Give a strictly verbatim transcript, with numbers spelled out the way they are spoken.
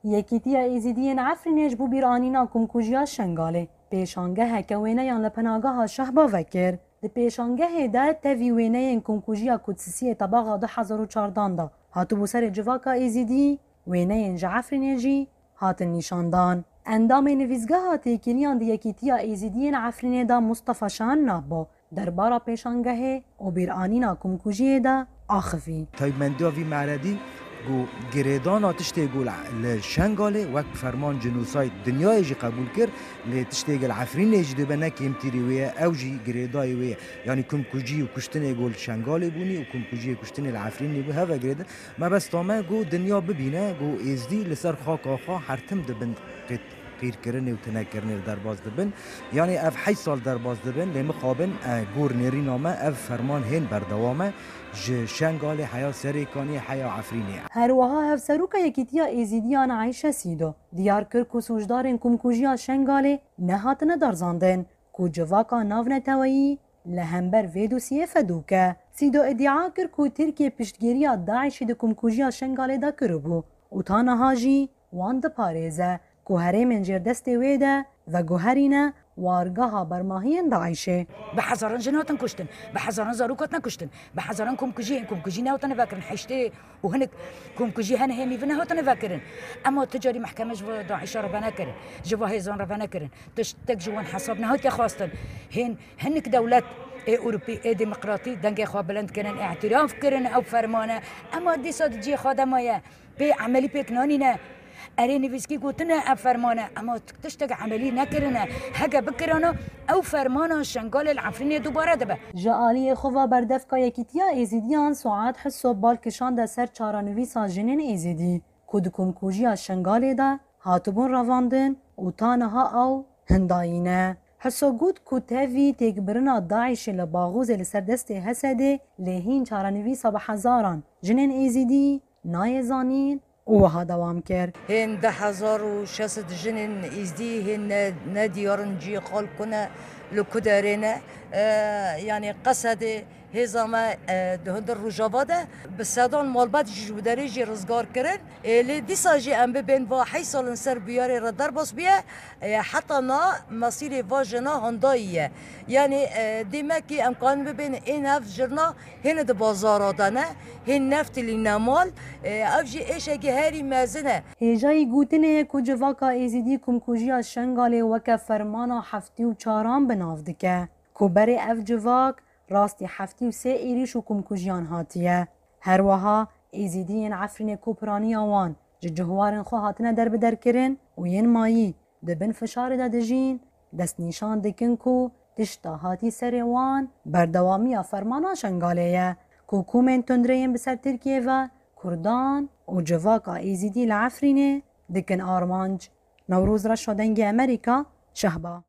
Yekîtiya Êzidiyên Efrînê ji bo bîranîna komkujiya Şengalê pêşangeheke wêneyan li penageha Şehba vekir. Di pêşangehê de tevî wêneyên komkujiya Kudsisiyê tebaxa du hezar û çardan de hatibû serê civaka Êzidî, wêneyên ji Efrînê jî hatin nîşandan. Endamên nivîsgeha têkiliyan di Yekîtiya Êzidiyên Efrînê de Mustafa Şahin Nabo derbara pêşangehê û bîranîna komkujiyê de axivî. Taybmendiya vî meredî ku girêdana tiştê ku li, li Şengalê wek ferman cenosayd dinyayê jî qebûl kir, lê tiştê ku li Efrînê jî dibe ne kêmtîrî wê ye, ew jî girêdayî wê ye. Yanî komkujî û kuştinê ku li Şengalê bûnî û komkujiyê kuştinê li Efrînê bû heve girêdin. Mebesta me ku dinya bibîne ku Êzdî li ser xaka xwe her tim dibin qêt qîrkirinê û tinekirinê li derbas dibin. Yanî ev heşt sal derbas dibin, lê mixabin, e, gor nêrîna me ev ferman hên berdewam e. Ji Şengalê heya Serêkaniyê heya Efrînê. Her wiha Hevseroka Yekîtiya Êzidiyan Ayşe Sîdo diyar kir ku sûcdarên komkujiya Şengalê nehatine darzandin, ku civaka navneteweyî li hember vê dosiyê fedûk e. Sîdo îdia kir ku Tirkiye piştgiriya DAIŞ'ê di komkujiya Şengalê de kiribû û ta niha jî wan diparêze ku herêmên jêrdestê wê de veguherîne wargeha bermahiyên DAIŞ'ê. Bi hezaran jin hatin kuştin, bi hezaran zarok hatine kuştin, bi hezaran komkujiyên komkujî nehatine vekirin, heştê û hinek komkujî hene hê mîvin nehatine vekirin. Ema tu carî mehkeme ji va DAIŞ'a re venekirin, ji va hêzan re venekirin. Tiştek ji wan hesab nehatiye xwestin. Hên hinek dewlet ê Ewropî, ê demokratî dengê xwe bilind kirin, îtiraf kirin ew fermane. Ema dîsa di cihê xwe de maye. Pê emelî pêk nanîne. Erê nivîskî gotine ev fermane, ema tiştek emelî nekirine. Heke bikirana, ew fermana Şengalê li Efrînê dubare dibe. Ji aliyê xwe ve berdevka Yekîtiya Êzidiyan Suad Hiso bal kişande ser çarenivîsa jinên Êzidî, ku di komkujiya Şengalê de hatibûn revandin û ta niha ew hindayî ne. Hiso got ku tevî têkbirina DAIŞ'ê li Baxûzê li ser destê Hesedê lê hîn çarenivîsa bi hezaran jinên Êzidî nayê zanîn û wiha dewam kir. Hên deh hezar û şeş sed jinên Êzdî hên ne, nediyar in cihê xwe li ku ne, li ku derê ne. E, yanî Qesedê hêza me, e, di hundir Rojava de bi sedan malbat jî ji derê jî rizgar kirin. E, lê dîsa jî em bibên va heyt sal in ser bûyerê re derbas bûye, e, heta na mesîrê va jina hindayî ye. Yanî, e, dêmekî em karin bibên ên ev jirna hêne di bazara de ne, hên neftilî ne mal, e, ev jî êşekî herî mezin e. Hêjayî gotinê ye ku civaka Êzidî komkujiya Şengalê weke fermana heftê û çaran bi nav dike, ku berê ev civak rastî heftê û sê êrîş û komkujiyan hatiye. Her wiha Êzidiyên Efrînê ku piraniya wan ji cihwarên xwe hatine derbiderkirin û yên mayî di bin fişarê de dijîn, destnîşan dikin ku tişta hatî serê wan berdewamiya fermana Şengalê ye, ku komên tundreyên bi ser Tirkiyê ve Kurdan û civaka Êzidî li Efrînê dikin armanc. Newroz Reşo, Dengê Amerîka, Şehba.